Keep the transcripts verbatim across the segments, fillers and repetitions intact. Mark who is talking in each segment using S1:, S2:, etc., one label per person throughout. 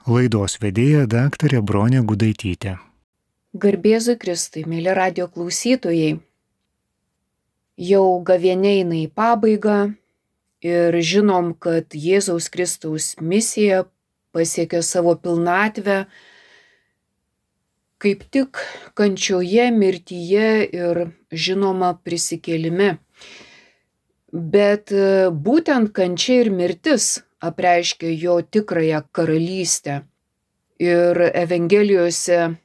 S1: Laidos vedėja daktarė Bronė Gudaitytė.
S2: Garbėzui Kristui, mėly radio klausytojai, jau gavėnia eina į pabaigą ir žinom, kad Jėzaus Kristaus misija pasiekė savo pilnatvę kaip tik kančioje, mirtyje ir žinoma prisikėlime. Bet būtent kančia ir mirtis apreiškia jo tikrąją karalystę. Ir Evangelijose,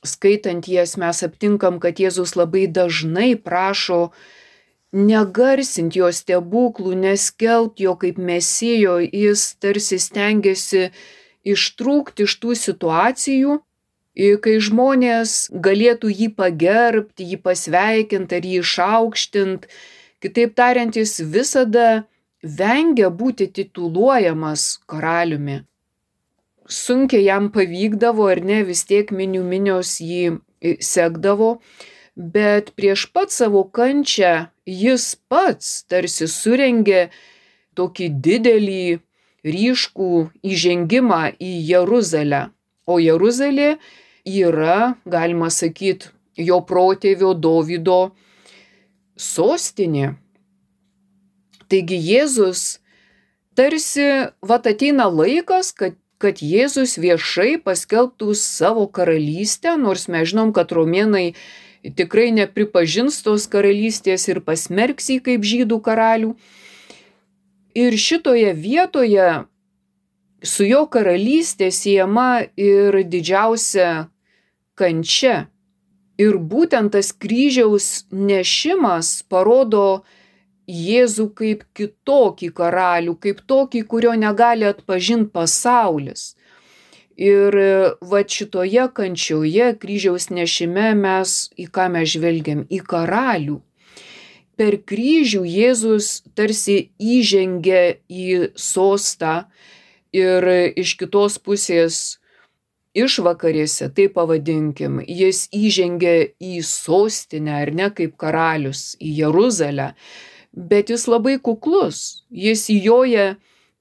S2: skaitant jas, mes aptinkam, kad Jėzus labai dažnai prašo negarsinti jo stebuklų, neskelbti jo kaip mesijo, jis tarsi stengiasi ištrūkti iš tų situacijų, kai žmonės galėtų jį pagerbti, jį pasveikinti ar jį išaukštinti. Kitaip tariant, jis visada vengia būti tituluojamas karaliumi. Sunkiai jam pavykdavo, ar ne, vis tiek minių minios jį sekdavo, bet prieš pat savo kančią jis pats tarsi surengė tokį didelį, ryškų įžengimą į Jeruzalę. O Jeruzalė yra, galima sakyti, jo protėvio Dovydo sostinė. Taigi Jėzus tarsi, vat ateina laikas, kad, kad Jėzus viešai paskelbtų savo karalystę, nors mes žinom, kad romėnai tikrai nepripažins tos karalystės ir pasmerks jį kaip žydų karalių. Ir šitoje vietoje su jo karalystė siejama ir didžiausia kančia. Ir būtent tas kryžiaus nešimas parodo Jėzų kaip kitokį karalių, kaip tokį, kurio negali atpažinti pasaulis. Ir va šitoje kančioje, kryžiaus nešime mes į ką mes žvelgiam? Į karalių. Per kryžių Jėzus tarsi įžengia į sostą ir iš kitos pusės išvakarėse, tai pavadinkim, jis įžengia į sostinę, ar ne, kaip karalius, į Jeruzalę. Bet jis labai kuklus, jis įjoja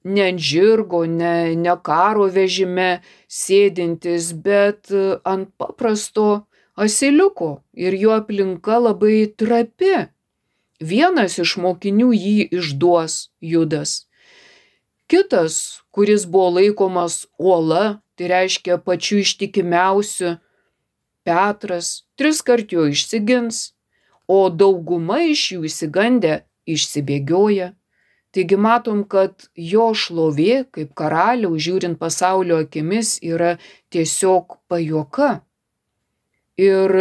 S2: ne ant žirgo, ne, ne karo vežime sėdintis, bet ant paprasto asiliuko ir jo aplinka labai trapi. Vienas iš mokinių jį išduos, Judas. Kitas, kuris buvo laikomas uola, tai reiškia pačiu ištikimiausiu, Petras, tris kart jo išsigins, o dauguma iš jų išsigandę išsibėgioja. Taigi matom, kad jo šlovė kaip karaliaus, žiūrint pasaulio akimis, yra tiesiog pajuoka. Ir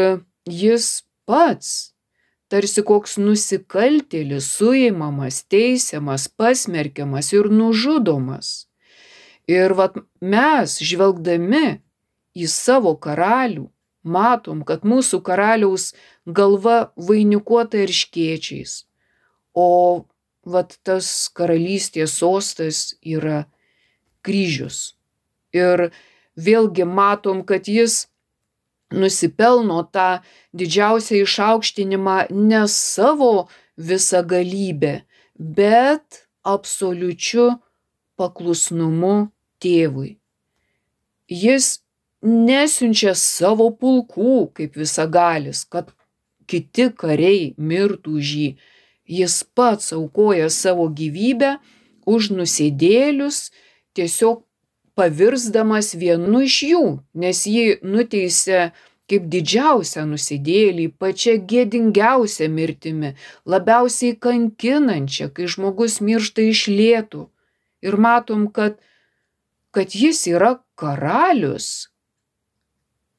S2: jis pats, tarsi koks nusikaltėlis, suimamas, teisiamas, pasmerkiamas ir nužudomas. Ir vat mes, žvelgdami į savo karalių, matom, kad mūsų karaliaus galva vainikuota erškėčiais, o vat tas karalystės sostas yra kryžius. Ir vėlgi matom, kad jis nusipelno tą didžiausią išaukštinimą ne savo visagalybę, bet absoliučiu paklusnumu tėvui. Jis nesiunčia savo pulkų kaip visagalis, kad kiti kariai mirtų už jį. Jis pats aukoja savo gyvybę už nusidėjėlius, tiesiog pavirsdamas vienu iš jų, nes jį nuteisė kaip didžiausią nusidėjėlį, pačią gėdingiausią mirtimi, labiausiai kankinančią, kai žmogus miršta iš lėtų. Ir matom, kad, kad jis yra karalius.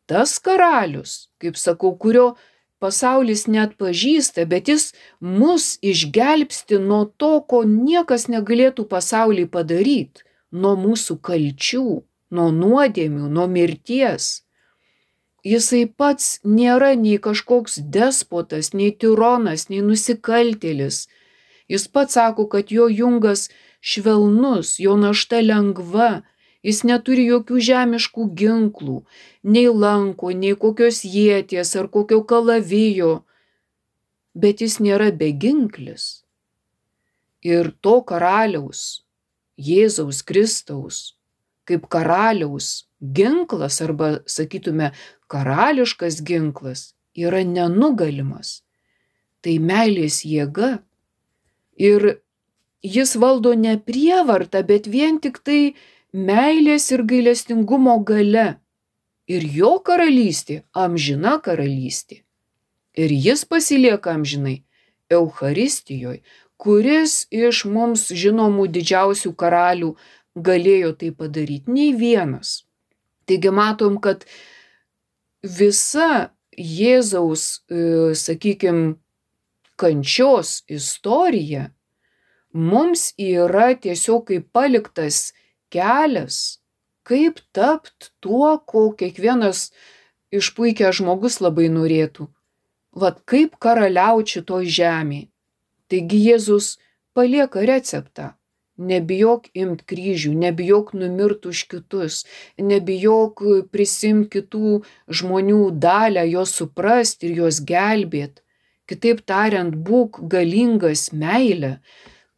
S2: Tas karalius, kaip sakau, kurio pasaulis neatpažįsta, bet jis mus išgelbsti nuo to, ko niekas negalėtų pasauly padaryti, nuo mūsų kalčių, nuo nuodėmių, nuo mirties. Jisai pats nėra nei kažkoks despotas, nei tironas, nei nusikaltėlis. Jis pats sako, kad jo jungas švelnus, jo našta lengva, jis neturi jokių žemiškų ginklų, nei lanko, nei kokios ieties ar kokio kalavijo, bet jis nėra beginklis. Ir to karaliaus, Jėzaus Kristaus, kaip karaliaus ginklas arba, sakytume, karališkas ginklas yra nenugalimas. Tai meilės jėga. Ir jis valdo ne prievartą, bet vien tik tai meilės ir gailestingumo galia. Ir jo karalystė amžina karalystė. Ir jis pasilieka amžinai Eucharistijoje, kuris iš mums žinomų didžiausių karalių galėjo tai padaryti, nei vienas. Taigi matom, kad visa Jėzaus, sakykime, kančios istorija mums yra tiesiog kaip paliktas kelias, kaip tapt tuo, ko kiekvienas išpuikęs žmogus labai norėtų. Vat kaip karaliauti šitoj žemėje. Taigi Jėzus palieka receptą. Nebijok imt kryžių, nebijok numirt už kitus, nebijok prisimti kitų žmonių dalią, juos suprasti ir juos gelbėti. Kitaip tariant, būk galingas meilę,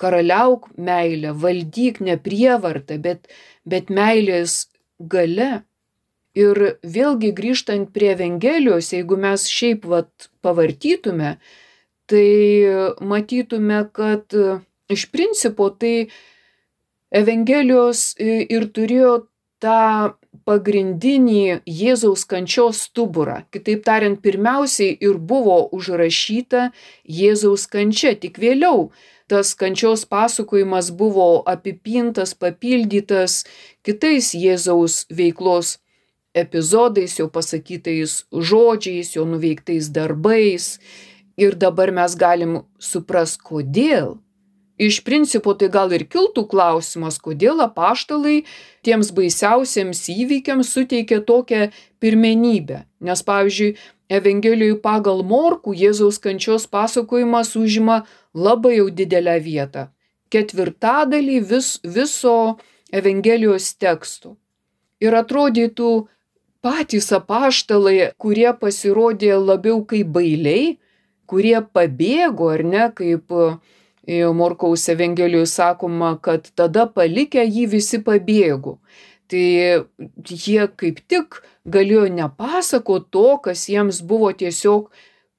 S2: karaliauk meilę, valdyk ne prievartą, bet, bet meilės galia. Ir vėlgi grįžtant prie Evangelijos, jeigu mes šiaip vat pavartytume, tai matytume, kad iš principo tai Evangelijos ir turėjo tą pagrindinį Jėzaus kančios stuburą. Kitaip tariant, pirmiausiai ir buvo užrašyta Jėzaus kančia, tik vėliau tas kančios pasakojimas buvo apipintas, papildytas kitais Jėzaus veiklos epizodais, jo pasakytais žodžiais, jo nuveiktais darbais. Ir dabar mes galim suprast, kodėl. Iš principo tai gal ir kiltų klausimas, kodėl apaštalai tiems baisiausiems įvykiams suteikė tokią pirmenybę. Nes, pavyzdžiui, Evangelijoje pagal Morkų Jėzaus kančios pasakojimas užima labai jau didelę vietą. Ketvirtadalį vis, viso Evangelijos teksto. Ir atrodytų patys apaštalai, kurie pasirodė labiau kaip bailiai, kurie pabėgo, ar ne, kaip Morkaus Evangelijoje sakoma, kad tada palikę jį visi pabėgo. Tai jie kaip tik galėjo nepasakoti to, kas jiems buvo tiesiog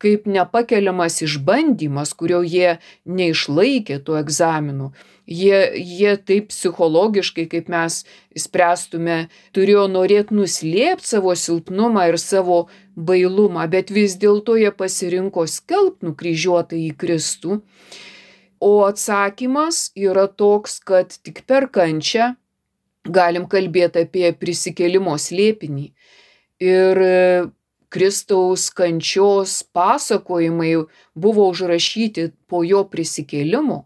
S2: kaip nepakeliamas išbandymas, kurio jie neišlaikė tų egzaminų. Jie, jie taip psichologiškai, kaip mes spręstume, turėjo norėti nuslėpti savo silpnumą ir savo bailumą, bet vis dėlto jie pasirinko skelbti nukryžiuotą į Kristų. O atsakymas yra toks, kad tik per kančią galim kalbėti apie prisikėlimo slėpinį. Ir Kristaus kančios pasakojimai buvo užrašyti po jo prisikėlimo.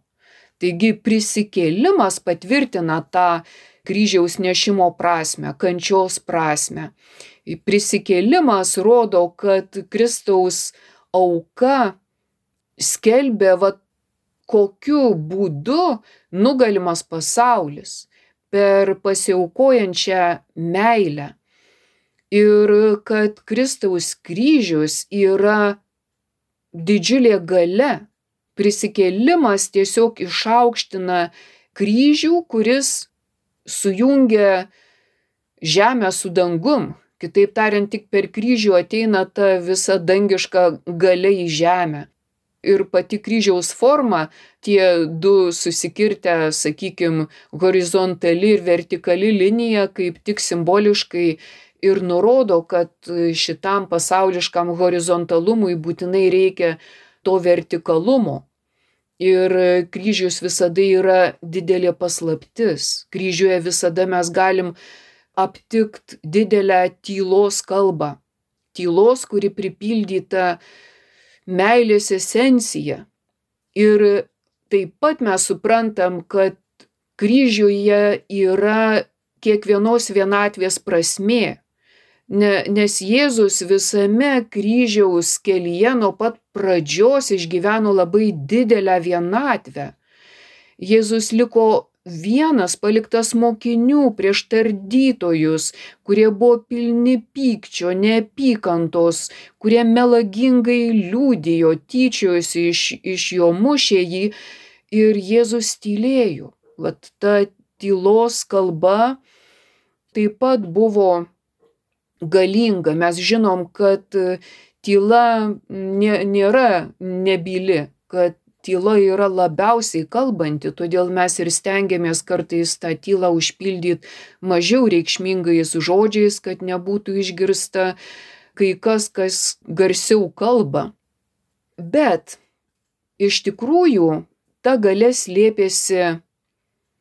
S2: Taigi prisikėlimas patvirtina tą kryžiaus nešimo prasmę, kančios prasmę. Prisikėlimas rodo, kad Kristaus auka skelbė, va, kokiu būdu nugalimas pasaulis per pasiaukojančią meilę. Ir kad Kristaus kryžius yra didžiulė galia. Prisikėlimas tiesiog išaukština kryžių, kuris sujungia žemę su dangum. Kitaip tariant, tik per kryžių ateina ta visa dangiška galia į žemę. Ir pati kryžiaus forma, tie du susikirtę, sakykime, horizontali ir vertikali linija, kaip tik simboliškai ir nurodo, kad šitam pasauliškam horizontalumui būtinai reikia to vertikalumo. Ir kryžius visada yra didelė paslaptis. Kryžiuje visada mes galim aptikti didelę tylos kalbą. Tylos, kuri pripildyta meilės esencija. Ir taip pat mes suprantam, kad kryžiuje yra kiekvienos vienatvės prasmė. Ne, nes Jėzus visame kryžiaus kelyje nuo pat pradžios išgyveno labai didelę vienatvę. Jėzus liko vienas, paliktas mokinių prieš tardytojus, kurie buvo pilni pykčio, neapykantos, kurie melagingai liudijo, tyčiojosi iš, iš jo, mušė jį, ir Jėzus tylėjo. Vat ta tylos kalba taip pat buvo galinga. Mes žinom, kad tyla nėra nebyli, kad tyla yra labiausiai kalbanti, todėl mes ir stengiamės kartais tą tylą užpildyti mažiau reikšmingais žodžiais, kad nebūtų išgirsta kai kas, kas garsiau kalba. Bet iš tikrųjų ta galia slėpėsi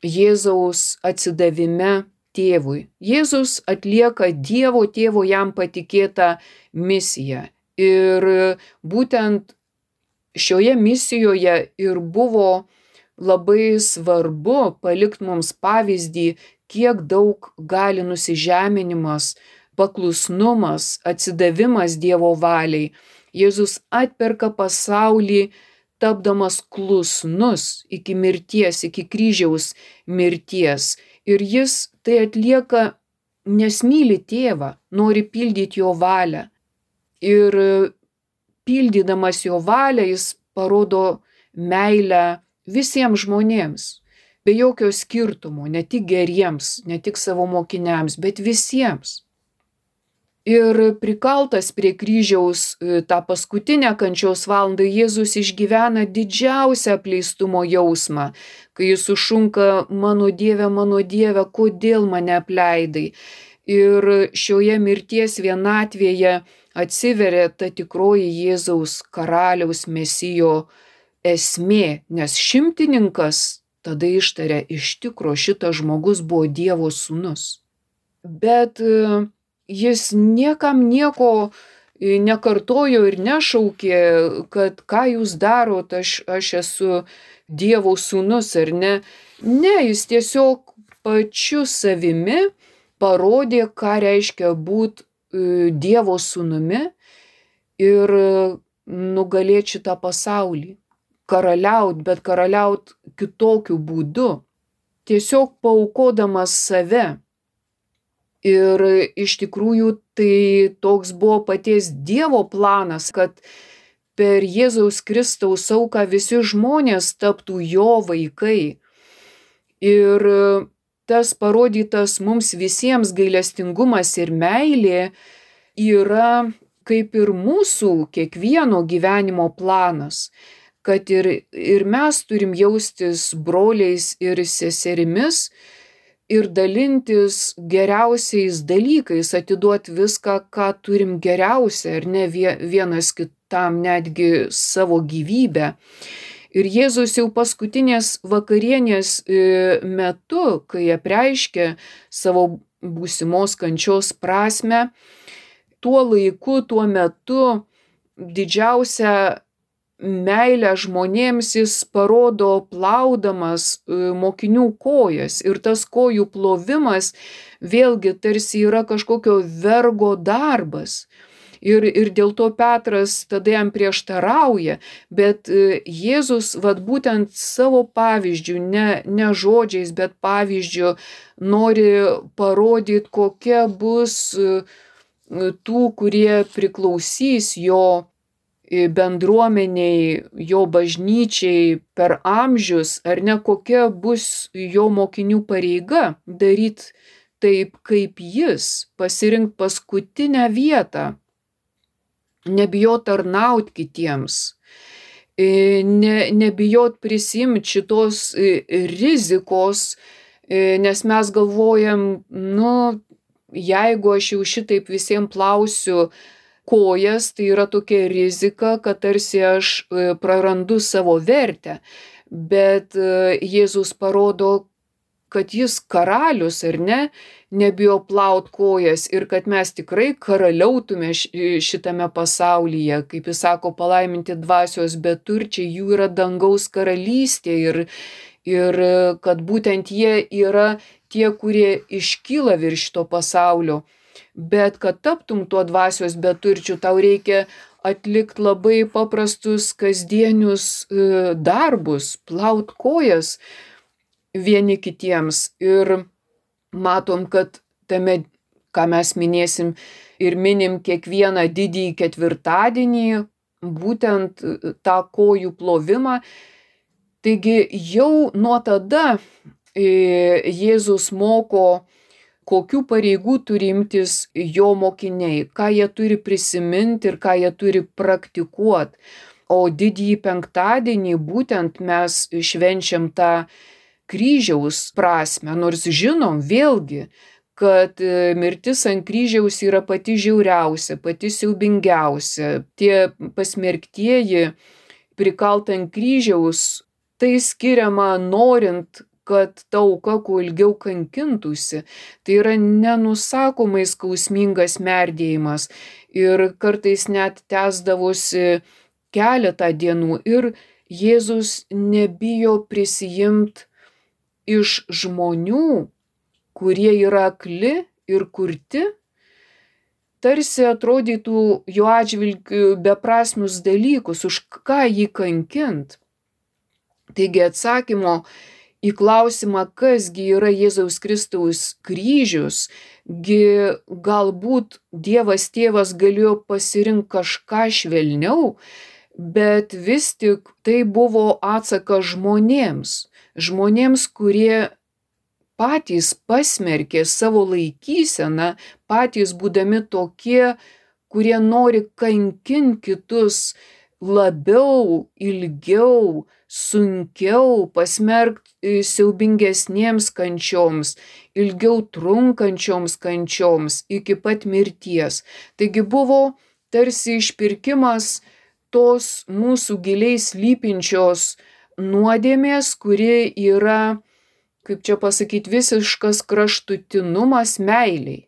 S2: Jėzaus atsidavime tėvui. Jėzus atlieka Dievo tėvo jam patikėtą misiją. Ir būtent šioje misijoje ir buvo labai svarbu palikti mums pavyzdį, kiek daug gali nusižeminimas, paklusnumas, atsidavimas Dievo valiai. Jėzus atperka pasaulį, tapdamas klusnus iki mirties, iki kryžiaus mirties. Ir jis tai atlieka, nes myli tėvą, nori pildyti jo valią. Ir pildydamas jo valią jis parodo meilę visiems žmonėms, be jokio skirtumo, ne tik geriems, ne tik savo mokiniams, bet visiems. Ir prikaltas prie kryžiaus tą paskutinę kančios valandą Jėzus išgyvena didžiausią apleistumo jausmą, kai jis sušunka: mano Dieve, mano Dieve, kodėl mane apleidai? Ir šioje mirties vienatvėje atsiveria ta tikroji Jėzaus karaliaus mesijo esmė, nes šimtininkas tada ištaria: iš tikro šitas žmogus buvo Dievo sūnus. Bet jis niekam nieko nekartojo ir nešaukė, kad ką jūs darot, aš, aš esu Dievo sūnus ar ne. Ne, jis tiesiog pačiu savimi parodė, ką reiškia būti Dievo sūnumi ir nugalėti šitą pasaulį. Karaliaut, bet karaliaut kitokiu būdu. Tiesiog paaukodamas save. Ir iš tikrųjų tai toks buvo paties Dievo planas, kad per Jėzaus Kristaus auką visi žmonės taptų jo vaikai. Ir tas parodytas mums visiems gailestingumas ir meilė yra kaip ir mūsų kiekvieno gyvenimo planas, kad ir, ir mes turim jaustis broliais ir seserimis, ir dalintis geriausiais dalykais, atiduoti viską, ką turim geriausia, ar ne vienas kitam netgi savo gyvybę. Ir Jėzus jau paskutinės vakarienės metu, kai apreiškė savo būsimos kančios prasmę, tuo laiku, tuo metu didžiausią meilę žmonėms jis parodo plaudamas mokinių kojas. Ir tas kojų plovimas vėlgi tarsi yra kažkokio vergo darbas. Ir, ir dėl to Petras tada jam prieštarauja. Bet Jėzus vat būtent savo pavyzdžių, ne, ne žodžiais, bet pavyzdžių nori parodyti, kokia bus tų, kurie priklausys jo bendruomeniai, jo bažnyčiai per amžius, ar ne, kokia bus jo mokinių pareiga daryti taip, kaip jis, pasirinkti paskutinę vietą, nebijot tarnaut kitiems, ne, nebijot prisimti šitos rizikos, nes mes galvojam, nu, jeigu aš jau šitaip visiems plausiu kojas, tai yra tokia rizika, kad tarsi aš prarandu savo vertę. Bet Jėzus parodo, kad jis karalius, ar ne, nebijo plaut kojas ir kad mes tikrai karaliautume šitame pasaulyje. Kaip jis sako, palaiminti dvasios beturčiai, jų yra dangaus karalystė ir, ir kad būtent jie yra tie, kurie iškyla virš šito pasaulio. Bet kad taptum tuo dvasios beturčiu, tau reikia atlikti labai paprastus kasdienius darbus, plaut kojas vieni kitiems. Ir matom, kad tame, ką mes minėsim ir minim kiekvieną didįjį ketvirtadienį, būtent tą kojų plovimą. Taigi jau nuo tada Jėzus moko kokių pareigų turi imtis jo mokiniai, ką jie turi prisiminti ir ką jie turi praktikuoti. O didįjį penktadienį būtent mes švenčiam tą kryžiaus prasme, nors žinom vėlgi, kad mirtis ant kryžiaus yra pati žiauriausia, pati siaubingiausia. Tie pasmerktieji prikalt ant kryžiaus, tai skiriama norint, kad ta auka kuo ilgiau kankintųsi. Tai yra nenusakomai skausmingas merdėjimas ir kartais net tęsdavosi keletą dienų ir Jėzus nebijo prisijimt iš žmonių, kurie yra akli ir kurti, tarsi atrodytų jo atžvilgiu beprasmius dalykus, už ką jį kankint. Taigi atsakymo į klausimą, kasgi yra Jėzaus Kristaus kryžius, gi galbūt Dievas Tėvas galėjo pasirinkti kažką švelniau, bet vis tik tai buvo atsakas žmonėms, žmonėms, kurie patys pasmerkė savo laikyseną, patys būdami tokie, kurie nori kankinti kitus labiau, ilgiau, sunkiau, pasmerkti siaubingesniems kančioms, ilgiau trunkančioms kančioms iki pat mirties. Taigi buvo tarsi išpirkimas tos mūsų giliai slypinčios nuodėmės, kuri yra, kaip čia pasakyti, visiškas kraštutinumas meiliai.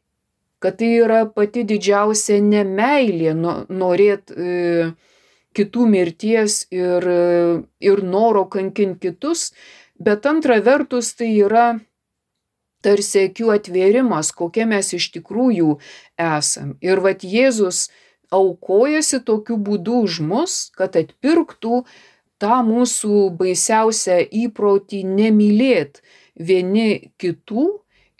S2: Kad tai yra pati didžiausia nemeilė norėt e, kitų mirties ir, ir noro kankinti kitus, bet antra vertus tai yra tarsi akių atvėrimas, kokie mes iš tikrųjų esam. Ir vat Jėzus aukojasi tokiu būdu už mus, kad atpirktų tą mūsų baisiausią įprotį nemylėt vieni kitų,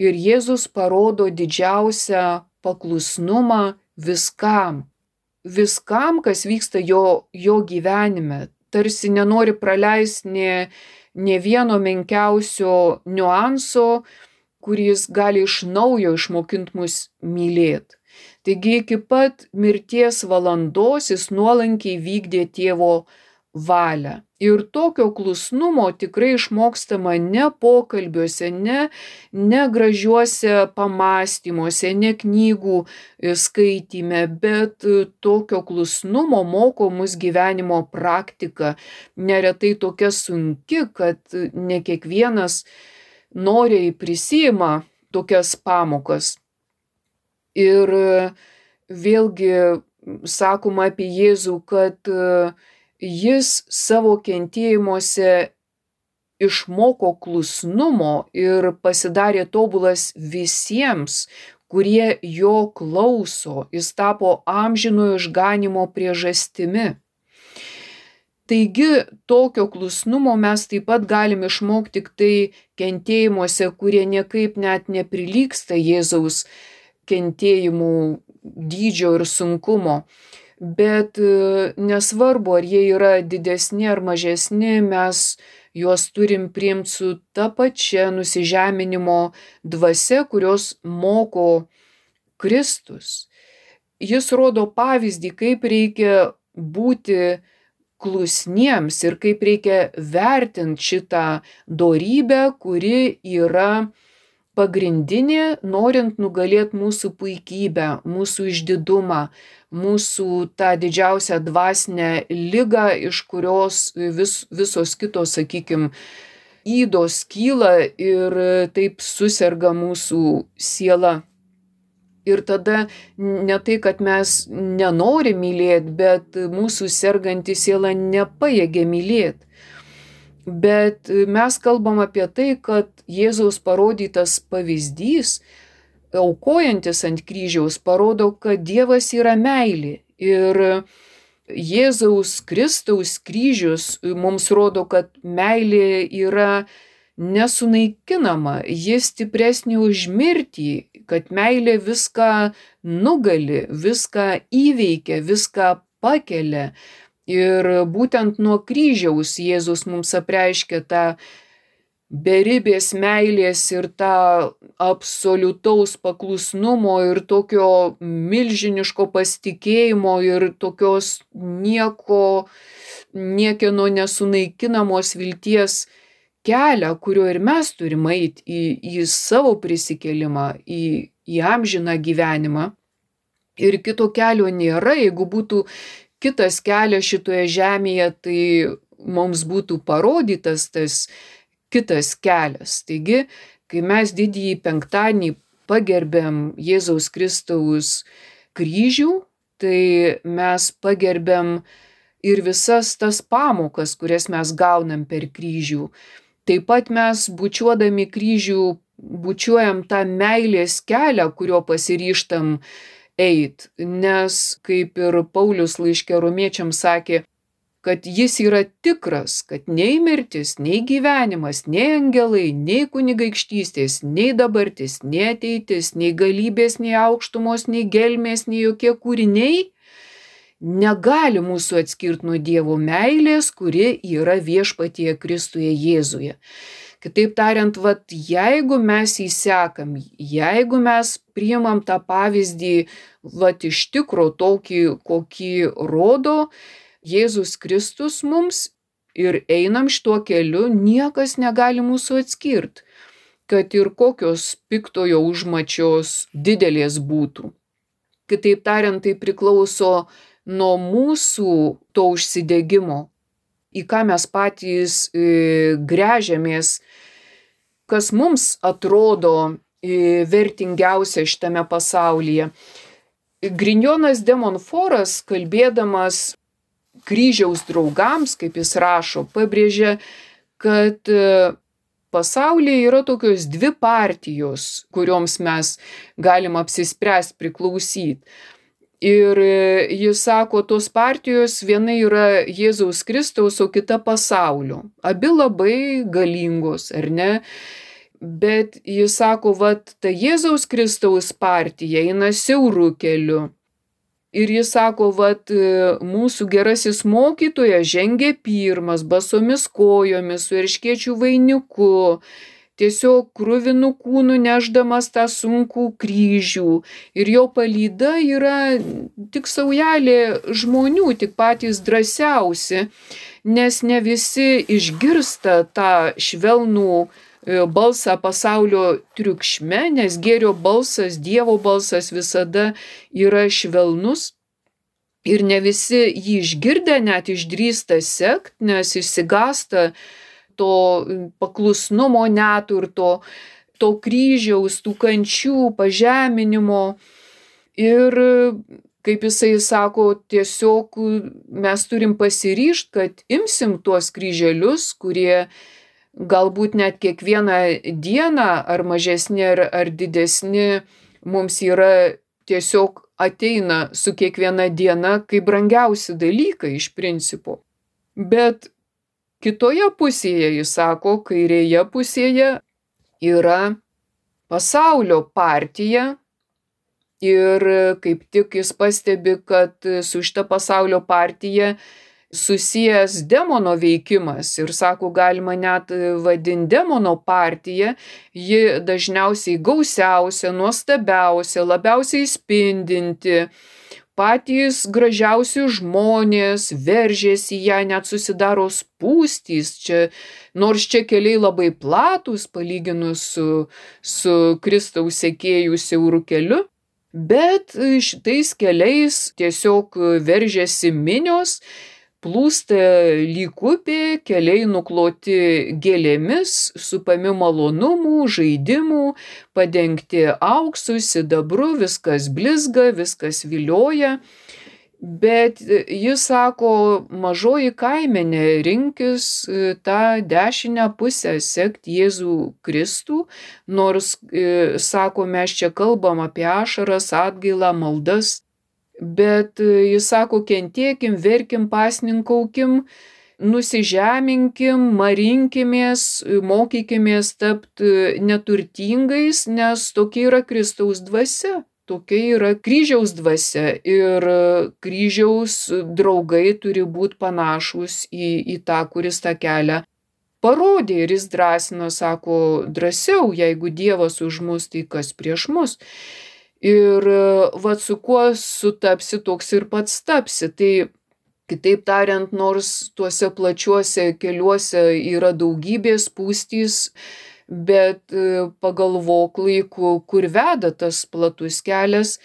S2: ir Jėzus parodo didžiausią paklusnumą viskam. Viskam, kas vyksta jo, jo gyvenime. Tarsi nenori praleisti nė, nė vieno menkiausio niuanso, kuris gali iš naujo išmokinti mus mylėti. Taigi iki pat mirties valandos jis nuolankiai vykdė tėvo valią. Ir tokio klusnumo tikrai išmokstama ne pokalbiuose, ne, ne gražiuose pamąstymuose, ne knygų skaityme, bet tokio klusnumo moko mus gyvenimo praktika. Neretai tokia sunki, kad ne kiekvienas noriai prisima tokias pamokas. Ir vėlgi sakoma apie Jėzų, kad jis savo kentėjimuose išmoko klusnumo ir pasidarė tobulas visiems, kurie jo klauso. Jis tapo amžinojo išganymo priežastimi. Taigi tokio klusnumo mes taip pat galim išmokti tik tai kentėjimuose, kurie niekaip net neprilygsta Jėzaus kentėjimų dydžio ir sunkumo. Bet nesvarbu, ar jie yra didesni ar mažesni, mes juos turim priimti su ta pačia nusižeminimo dvasia, kurios moko Kristus. Jis rodo pavyzdį, kaip reikia būti klusniems ir kaip reikia vertinti šitą dorybę, kuri yra pagrindinė, norint nugalėti mūsų puikybę, mūsų išdidumą, mūsų tą didžiausią dvasinę ligą, iš kurios vis, visos kitos, sakykime, ydos kyla ir taip suserga mūsų siela. Ir tada ne tai, kad mes nenorim mylėti, bet mūsų serganti siela nepajėgia mylėti. Bet mes kalbam apie tai, kad Jėzaus parodytas pavyzdys, aukojantis ant kryžiaus, parodo, kad Dievas yra meilė. Ir Jėzaus Kristaus kryžius mums rodo, kad meilė yra nesunaikinama, ji stipresnė už mirtį, kad meilė viską nugali, viską įveikia, viską pakelia. Ir būtent nuo kryžiaus Jėzus mums apreiškia tą beribės meilės ir tą absoliutaus paklusnumo ir tokio milžiniško pasitikėjimo ir tokios nieko, niekieno nesunaikinamos vilties kelią, kuriuo ir mes turime eiti į, į savo prisikėlimą, į, į amžiną gyvenimą. Ir kito kelio nėra. Jeigu būtų kitas kelias šitoje žemėje, tai mums būtų parodytas tas kitas kelias. Taigi, kai mes didįjį penktadienį pagerbėm Jėzaus Kristaus kryžių, tai mes pagerbėm ir visas tas pamokas, kurias mes gaunam per kryžių. Taip pat mes bučiuodami kryžių bučiuojam tą meilės kelią, kurio pasiryžtam eit, nes kaip ir Paulius laiške romiečiams sakė, kad jis yra tikras, kad nei mirtis, nei gyvenimas, nei angelai, nei kunigaikštystės, nei dabartis, nei ateitis, nei galybės, nei aukštumos, nei gelmės, nei jokie kūriniai negali mūsų atskirti nuo Dievo meilės, kuri yra viešpatyje Kristuje Jėzuje. Kitaip tariant, vat, jeigu mes įsekam, jeigu mes priimam tą pavyzdį vat, iš tikro tokį, kokį rodo Jėzus Kristus mums ir einam šituo keliu, niekas negali mūsų atskirti, kad ir kokios piktojo užmačios didelės būtų. Kitaip tariant, tai priklauso nuo mūsų to užsidegimo, į ką mes patys e, grežiamės, kas mums atrodo e, vertingiausia šitame pasaulyje. Grignonas de Montfortas, kalbėdamas kryžiaus draugams, kaip jis rašo, pabrėžia, kad e, pasaulyje yra tokios dvi partijos, kurioms mes galim apsispręsti priklausyti. Ir jis sako, tos partijos viena yra Jėzaus Kristaus, o kita pasaulio. Abi labai galingos, ar ne? Bet jis sako, vat, ta Jėzaus Kristaus partija eina siauru keliu. Ir jis sako, vat, mūsų gerasis mokytojas žengė pirmas, basomis kojomis, su erškėčių vainiku, tiesiog kruvinu kūnu nešdamas tą sunkų kryžių. Ir jo palyda yra tik saujelė žmonių, tik patys drąsiausi, nes ne visi išgirsta tą švelnų balsą pasaulio triukšme, nes gėrio balsas, Dievo balsas visada yra švelnus. Ir ne visi jį išgirdę net išdrįsta sekt, nes išsigąsta to paklusnumo net ir to, to kryžiaus, tų kančių, pažeminimo. Ir kaip jisai sako, tiesiog mes turim pasiryžti, kad imsim tuos kryželius, kurie galbūt net kiekvieną dieną, ar mažesni, ar, ar didesni, mums yra tiesiog ateina su kiekviena diena kaip brangiausi dalykai iš principo. Bet kitoje pusėje, jis sako, kairėje pusėje yra pasaulio partija ir kaip tik jis pastebi, kad su šita pasaulio partija susijęs demono veikimas ir sako, galima net vadinti demono partiją, ji dažniausiai gausiausia, nuostabiausia, labiausiai spindinti. Patys gražiausi žmonės veržėsi ją, net susidaro spūstys, čia, nors čia keliai labai platūs palyginus su, su Kristaus sekėjų siauru keliu, bet šitais keliais tiesiog veržėsi minios, plūsta lyg upė, keliai nukloti gėlėmis, supami malonumų, žaidimų, padengti auksu, sidabru, viskas blizga, viskas vilioja. Bet jis sako, mažoji kaimenė, rinkis tą dešinę pusę, sekt Jėzų Kristų, nors, sako, mes čia kalbam apie ašaras, atgailą, maldas. Bet jis sako, kentėkim, verkim, pasninkaukim, nusižeminkim, marinkimės, mokykimės tapti neturtingais, nes tokia yra Kristaus dvasia, tokia yra kryžiaus dvasia ir kryžiaus draugai turi būti panašus į, į tą, kuris tą kelią parodė ir jis drąsina, sako, drąsiau, jeigu Dievas už mus, tai kas prieš mus. Ir vat su kuo sutapsi, toks ir pats tapsi. Tai kitaip tariant, nors tuose plačiuose keliuose yra daugybės spūstys, bet pagalvok laiku, kur veda tas platus kelias,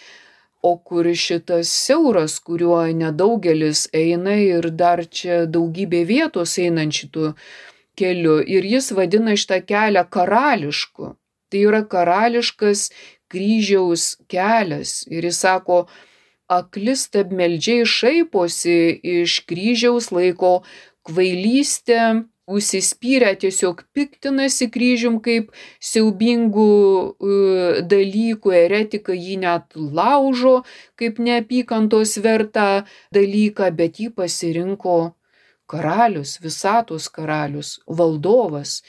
S2: o kur šitas siauras, kuriuo nedaugelis eina ir dar čia daugybė vietos einant šitų keliu. Ir jis vadina šitą kelią karališku. Tai yra karališkas kryžiaus kelias. Ir jis sako, akli stabmeldžiai šaiposi iš kryžiaus, laiko kvailystę, užsispyrę tiesiog piktinasi kryžium kaip siaubingų uh, dalykų, eretika jį net laužo kaip neapykantos vertą dalyką, bet jį pasirinko karalius, visatos karalius, valdovas.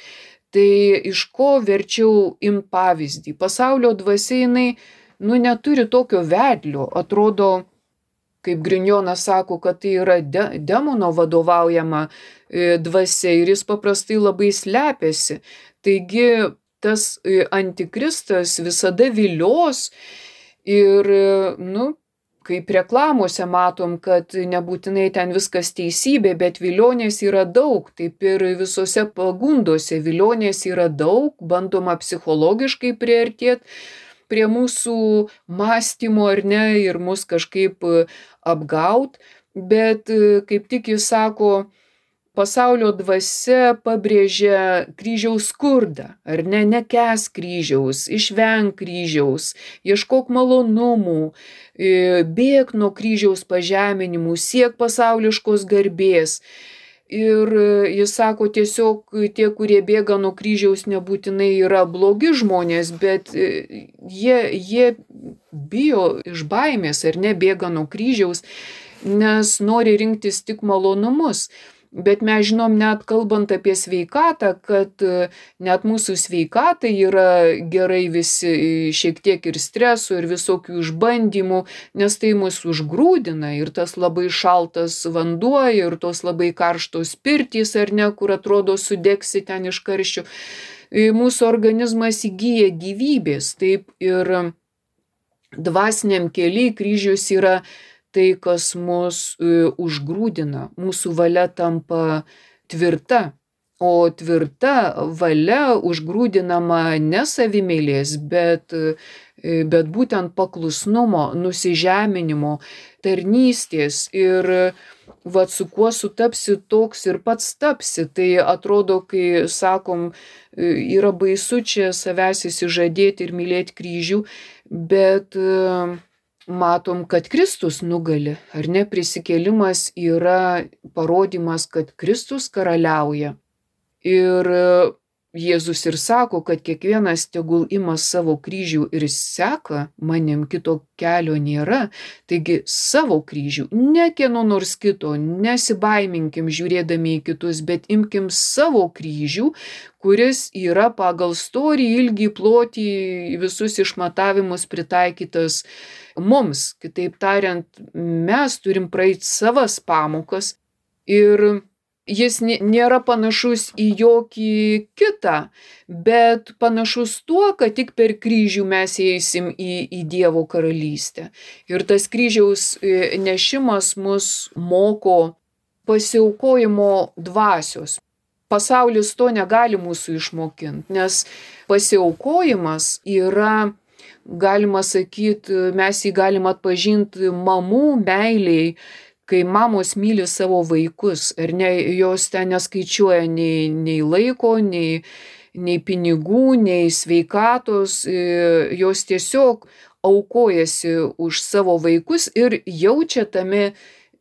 S2: Tai iš ko verčiau imt pavyzdį? Pasaulio dvasia jinai, nu, neturi tokio vedlio, atrodo, kaip Grignonas sako, kad tai yra de, demono vadovaujama e, dvasia ir jis paprastai labai slepiasi. Taigi tas e, antikristas visada vilios ir, e, nu, kaip reklamose matom, kad nebūtinai ten viskas teisybė, bet vilionės yra daug, taip ir visose pagundose vilionės yra daug, bandoma psichologiškai priartėti prie mūsų mąstymo ar ne ir mus kažkaip apgaut, bet kaip tik jis sako, pasaulio dvasia pabrėžia kryžiaus skurdą, ar ne, nekęs kryžiaus, išvenk kryžiaus, ieškok malonumų, bėk nuo kryžiaus pažeminimų, siek pasauliškos garbės. Ir jis sako, tiesiog tie, kurie bėga nuo kryžiaus, nebūtinai yra blogi žmonės, bet jie, jie bijo iš baimės ar ne bėga nuo kryžiaus, nes nori rinktis tik malonumus. Bet mes žinom, net kalbant apie sveikatą, kad net mūsų sveikatai yra gerai visi šiek tiek ir streso, ir visokių išbandymų, nes tai mus užgrūdina ir tas labai šaltas vanduo, ir tos labai karštos pirtys, ar ne, kur atrodo sudegsi ten iš karščių. Mūsų organizmas įgyja gyvybės, taip ir dvasiniam keliui kryžius yra tai, kas mus uh, užgrūdina, mūsų valia tampa tvirta, o tvirta valia užgrūdinama ne savimeilės, bet, uh, bet būtent paklusnumo, nusižeminimo, tarnystės ir vat su kuo sutapsi, toks ir pats tapsi. Tai atrodo, kai sakom, yra baisu čia savęs įsižadėti ir mylėti kryžių, bet uh, matom, kad Kristus nugali, ar ne, prisikėlimas yra parodymas, kad Kristus karaliauja. Ir Jėzus ir sako, kad kiekvienas tegul ima savo kryžių ir seka manim, kito kelio nėra. Taigi savo kryžių, ne kieno nors kito, nesibaiminkim žiūrėdami į kitus, bet imkim savo kryžių, kuris yra pagal storį, ilgį, plotį, visus išmatavimus pritaikytas mums. Kitaip tariant, mes turim praeiti savas pamokas ir jis nėra panašus į jokį kitą, bet panašus tuo, kad tik per kryžių mes eisim į, į Dievo karalystę. Ir tas kryžiaus nešimas mus moko pasiaukojimo dvasios. Pasaulis to negali mūsų išmokinti, nes pasiaukojimas yra, galima sakyti, mes jį galim atpažinti mamų meiliai, kai mamos myli savo vaikus, ar ne, jos ten neskaičiuoja nei, nei laiko, nei, nei pinigų, nei sveikatos, jos tiesiog aukojasi už savo vaikus ir jaučia tame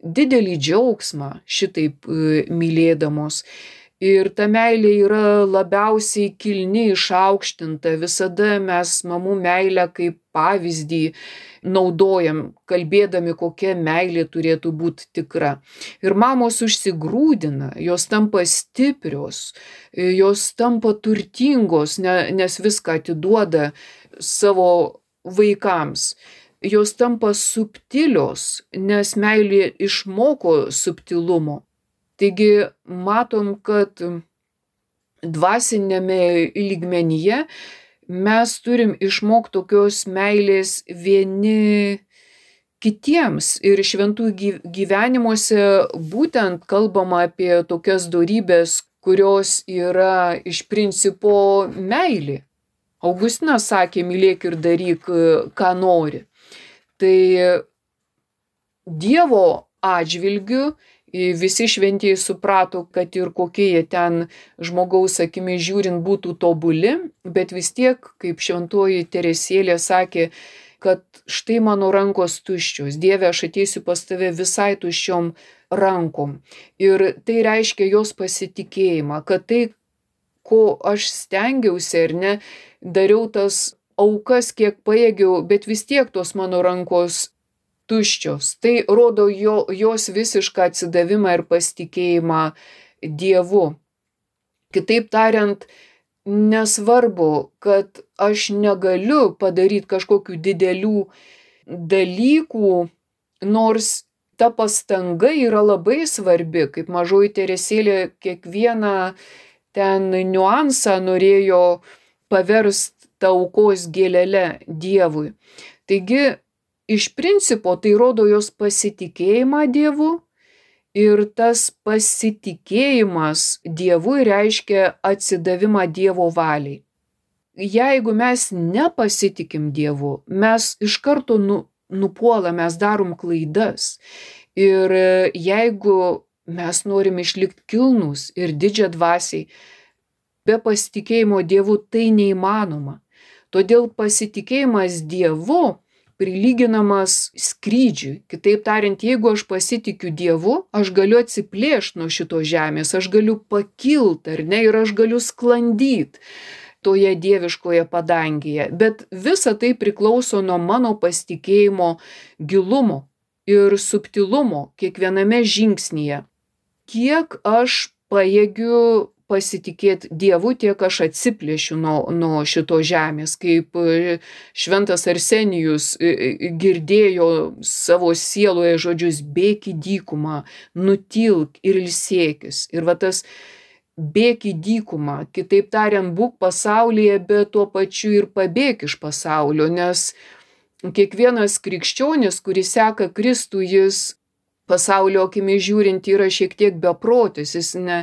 S2: didelį džiaugsmą šitaip mylėdamos. Ir ta meilė yra labiausiai kilni, išaukštinta. Visada mes mamų meilę kaip pavyzdį naudojam, kalbėdami, kokia meilė turėtų būti tikra. Ir mamos užsigrūdina, jos tampa stiprios, jos tampa turtingos, nes viską atiduoda savo vaikams. Jos tampa subtilios, nes meilė išmoko subtilumo. Taigi matom, kad dvasinėme lygmenyje mes turim išmokti tokios meilės vieni kitiems. Ir šventųjų gyvenimuose būtent kalbama apie tokias dorybės, kurios yra iš principo meilė. Augustinas sakė, mylėk ir daryk, ką nori. Tai Dievo atžvilgiu visi šventieji suprato, kad ir kokie jie ten žmogaus akimi žiūrint būtų tobuli, bet vis tiek, kaip šventoji Teresėlė sakė, kad štai mano rankos tuščios, Dieve, aš ateisiu pas tave visai tuščiom rankom. Ir tai reiškia jos pasitikėjimą, kad tai, ko aš stengiausi ar ne, dariau tas aukas, kiek pajėgiau, bet vis tiek tos mano rankos tuščios. Tai rodo jo, jos visišką atsidavimą ir pasitikėjimą Dievu. Kitaip tariant, nesvarbu, kad aš negaliu padaryti kažkokių didelių dalykų, nors ta pastanga yra labai svarbi, kaip mažoji Teresėlė kiekvieną ten niuansą norėjo paversti tą aukos gėlele Dievui. Taigi, iš principo tai rodo jos pasitikėjimą Dievu ir tas pasitikėjimas Dievu reiškia atsidavimą Dievo valiai. Jeigu mes nepasitikim Dievu, mes iš karto nu, nupuolam, mes darom klaidas. Ir jeigu mes norim išlikti kilnūs ir didžiadvasiai, be pasitikėjimo Dievu tai neįmanoma. Todėl pasitikėjimas Dievu prilyginamas skrydžiui. Kitaip tariant, jeigu aš pasitikiu Dievu, aš galiu atsiplėšti nuo šitos žemės, aš galiu pakilti, ar ne, ir aš galiu sklandyti toje dieviškoje padangėje. Bet visa tai priklauso nuo mano pasitikėjimo gilumo ir subtilumo kiekviename žingsnyje. Kiek aš pajėgiu pasitikėti Dievu, tiek aš atsiplėšiu nuo, nuo šito žemės, kaip šventas Arsenijus girdėjo savo sieloje žodžius, bėk į dykumą, nutilk ir ilsėkis. Ir va tas bėk į dykumą, kitaip tariant, būk pasaulyje, bet tuo pačiu ir pabėk iš pasaulio, nes kiekvienas krikščionis, kuris seka Kristų, jis pasaulio akimi žiūrint yra šiek tiek beprotis, jis ne,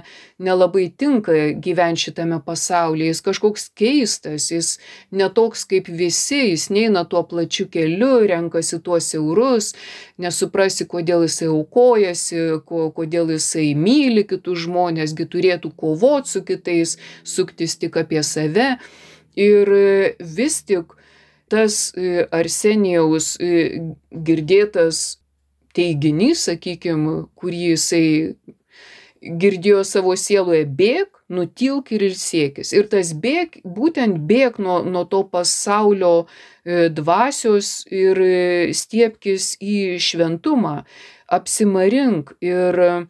S2: nelabai tinka gyventi šitame pasaulyje, jis kažkoks keistas, jis netoks kaip visi, jis neina tuo plačiu keliu, renkasi tuos siaurus, nesuprasi, kodėl jisai aukojasi, ko, kodėl jisai myli kitus žmonės, gi turėtų kovoti su kitais, suktis tik apie save. Ir vis tik tas Arsenijaus girdėtas teiginys, sakykime, kurį jisai girdėjo savo sieloje, bėk, nutilk ir ilsėkis. Ir tas bėk, būtent bėk nuo, nuo to pasaulio dvasios ir stiepkis į šventumą, apsimarink. Ir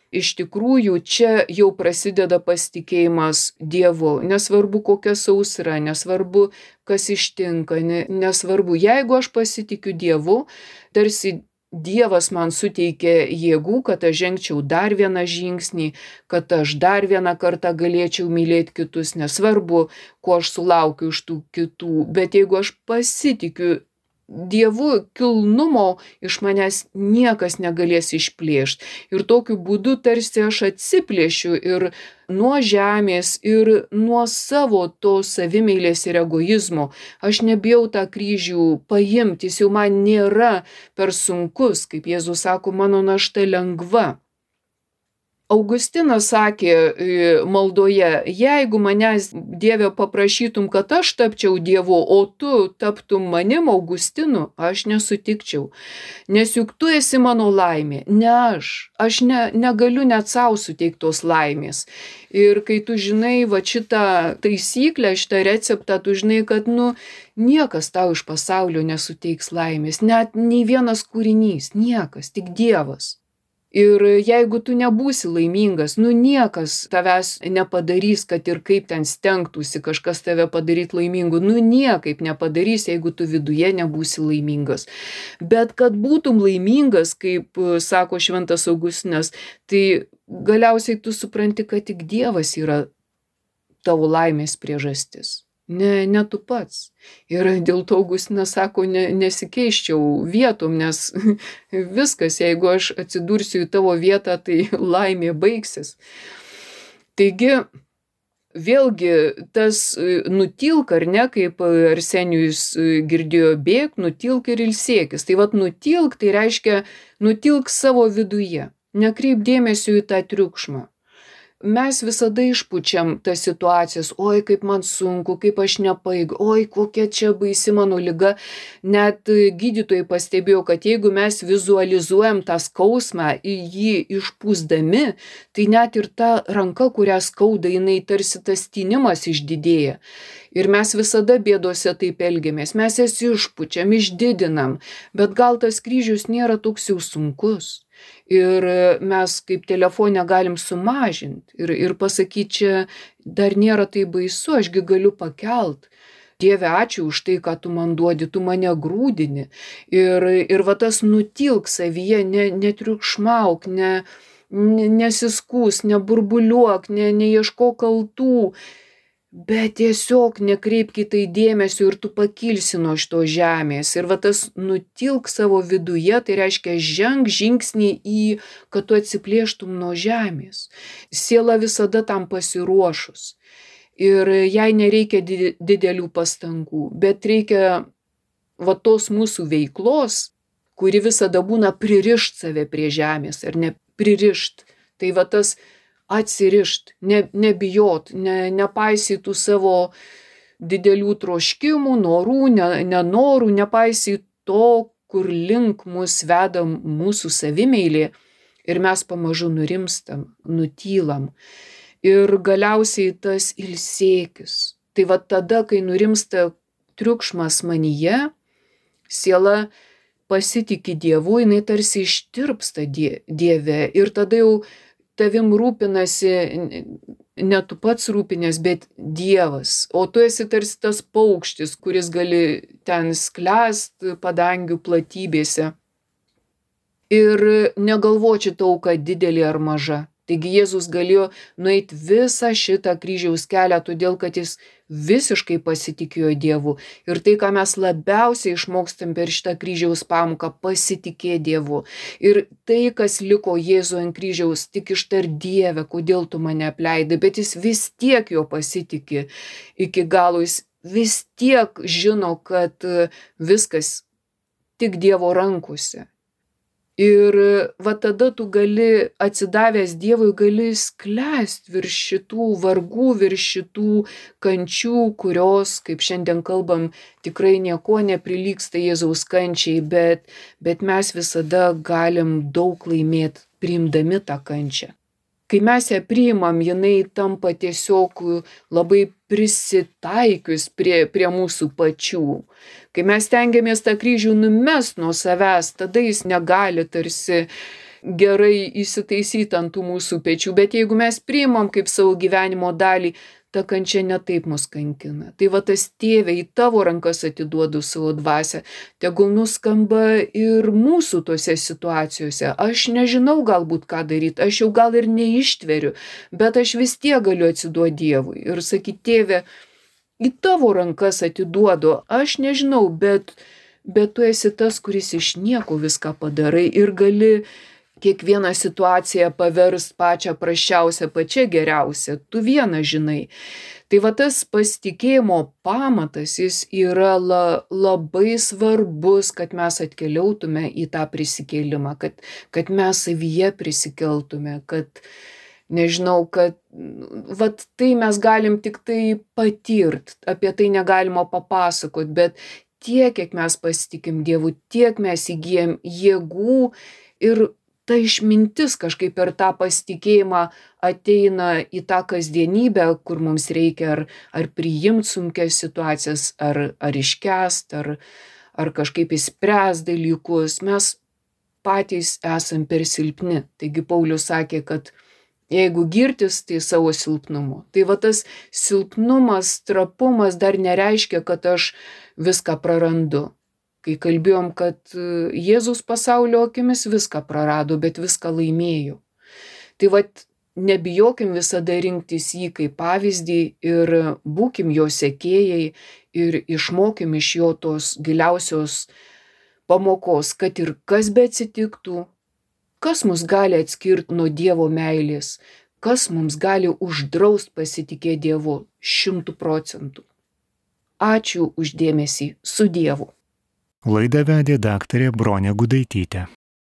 S2: iš tikrųjų čia jau prasideda pasitikėjimas Dievu. Nesvarbu kokia sausra, nesvarbu kas ištinka, nesvarbu. Jeigu aš pasitikiu Dievu, tarsi Dievas man suteikė jėgų, kad aš žengčiau dar vieną žingsnį, kad aš dar vieną kartą galėčiau mylėti kitus, nesvarbu, ko aš sulaukiu iš tų kitų, bet jeigu aš pasitikiu Dievu, kilnumo iš manęs niekas negalės išplėšti. Ir tokiu būdu tarsi aš atsiplėšiu ir nuo žemės, ir nuo savo to savimeilės ir egoizmo. Aš nebijau tą kryžių paimti, jis jau man nėra per sunkus, kaip Jėzus sako, mano našta lengva. Augustinas sakė maldoje, jeigu manęs Dieve paprašytum, kad aš tapčiau Dievu, o tu taptum manim Augustinu, aš nesutikčiau. Nes juk tu esi mano laimė, ne aš. Aš ne, negaliu net savo suteikti tos laimės. Ir kai tu žinai va šitą taisyklę, šitą receptą, tu žinai, kad nu, niekas tau iš pasaulio nesuteiks laimės. Net nei vienas kūrinys, niekas, tik Dievas. Ir jeigu tu nebūsi laimingas, nu niekas tavęs nepadarys, kad ir kaip ten stengtųsi kažkas tave padaryti laimingu, nu niekaip nepadarys, jeigu tu viduje nebūsi laimingas. Bet kad būtum laimingas, kaip sako šventas Augustinas, tai galiausiai tu supranti, kad tik Dievas yra tavo laimės priežastis. Ne, ne tu pats. Ir dėl to Augustinas sako, ne, nesikeiščiau vietom, nes viskas, jeigu aš atsidursiu į tavo vietą, tai laimė baigsis. Taigi, vėlgi tas nutilk, ar ne, kaip Arsenijus girdėjo, bėk, nutilk ir ilsėkis. Tai vat nutilk, tai reiškia nutilk savo viduje, nekreip dėmesio į tą triukšmą. Mes visada išpučiam tas situacijas, oi kaip man sunku, kaip aš nepajėgiu, oi kokia čia baisi mano liga. Net gydytojai pastebėjo, kad jeigu mes vizualizuojam tą skausmą, jį išpūsdami, tai net ir ta ranka, kurią skauda, jinai tarsi tas tynimas išdidėja. Ir mes visada bėdose taip elgiamės, mes jas išpučiam, išdidinam, bet gal tas kryžius nėra toks jau sunkus. Ir mes kaip telefone galim sumažinti ir, ir pasakyti, čia dar nėra tai baisu, ašgi galiu pakelt. Dieve, ačiū už tai, ką tu man duodi, tu mane grūdini. Ir, ir va tas nutilk savyje, ne, netriukšmauk, ne, ne, nesiskūs, neburbuliuok, ne, neieško kaltų. Bet tiesiog nekreipk į tai dėmesio ir tu pakilsi nuo šito žemės. Ir va tas nutilk savo viduje, tai reiškia ženk žingsnį į, kad tu atsiplėštum nuo žemės. Siela visada tam pasiruošus. Ir jai nereikia didelių pastangų, bet reikia va tos mūsų veiklos, kuri visada būna pririšt save prie žemės ar ne pririšt. Tai va tas atsirišt, ne, nebijot, ne, nepaisytų savo didelių troškimų, norų, ne, nenorų, nepaisyt to, kur link mus veda mūsų savimeilė ir mes pamažu nurimstam, nutylam. Ir galiausiai tas ilsėkis. Tai va tada, kai nurimsta triukšmas manyje, siela pasitiki Dievu, jinai tarsi ištirpsta die, Dieve ir tada jau tavim rūpinasi, ne tu pats rūpinės, bet Dievas. O tu esi tarsi tas paukštis, kuris gali ten sklęst padangių platybėse. Ir negalvoči tauka didelė ar maža. Taigi Jėzus galėjo nueiti visą šitą kryžiaus kelią, todėl kad jis visiškai pasitikėjo Dievu. Ir tai, ką mes labiausiai išmokstam per šitą kryžiaus pamoką, pasitikė Dievu. Ir tai, kas liko Jėzų ant kryžiaus, tik ištar Dieve, kodėl tu mane apleidai, bet jis vis tiek jo pasitikė iki galo, jis vis tiek žino, kad viskas tik Dievo rankose. Ir va tada tu gali, atsidavęs Dievui, gali sklęst virš šitų vargų, virš šitų kančių, kurios, kaip šiandien kalbam, tikrai nieko neprilygsta Jėzaus kančiai, bet, bet mes visada galim daug laimėti priimdami tą kančią. Kai mes ją priimam, jinai tampa tiesiog labai prisitaikius prie, prie mūsų pačių. Kai mes stengiamės tą kryžių numest nuo savęs, tada jis negali tarsi gerai įsitaisyti ant tų mūsų pečių. Bet jeigu mes priimam kaip savo gyvenimo dalį, ta kančia netaip mus kankina. Tai va tas Tėve, į tavo rankas atiduodu savo dvasią. Tegul nuskamba ir mūsų tose situacijose. Aš nežinau galbūt ką daryti, aš jau gal ir neištveriu, bet aš vis tiek galiu atsiduoti Dievui. Ir sakyti, Tėve, į tavo rankas atiduodu, aš nežinau, bet, bet tu esi tas, kuris iš nieko viską padarai ir gali kiekvieną situaciją paverst pačią prasčiausią, pačią geriausią. Tu vieną žinai. Tai va tas pasitikėjimo pamatas, jis yra la, labai svarbus, kad mes atkeliautume į tą prisikėlimą, kad, kad mes savyje prisikeltume, kad, nežinau, kad vat tai mes galim tik tai patirt, apie tai negalima papasakot, bet tiek, kiek mes pasitikim Dievu, tiek mes įgyjam jėgų ir ta išmintis kažkaip per tą pasitikėjimą ateina į tą kasdienybę, kur mums reikia ar, ar priimti sunkias situacijas, ar, ar iškęst, ar, ar kažkaip įspręs dalykus. Mes patys esam per silpni. Taigi Paulius sakė, kad jeigu girtis, tai savo silpnumu. Tai va tas silpnumas, trapumas dar nereiškia, kad aš viską prarandu. Kai kalbėjom, kad Jėzus pasaulio akimis viską prarado, bet viską laimėjo. Tai va nebijokim visada rinktis jį kaip pavyzdį ir būkim jo sekėjai ir išmokim iš jo tos giliausios pamokos, kad ir kas beatsitiktų, kas mus gali atskirti nuo Dievo meilės, kas mums gali uždraust pasitikėti Dievu šimtų procentų. Ačiū už dėmesį, su Dievu.
S1: Laidą vedė daktarė Bronė Gudaitytė.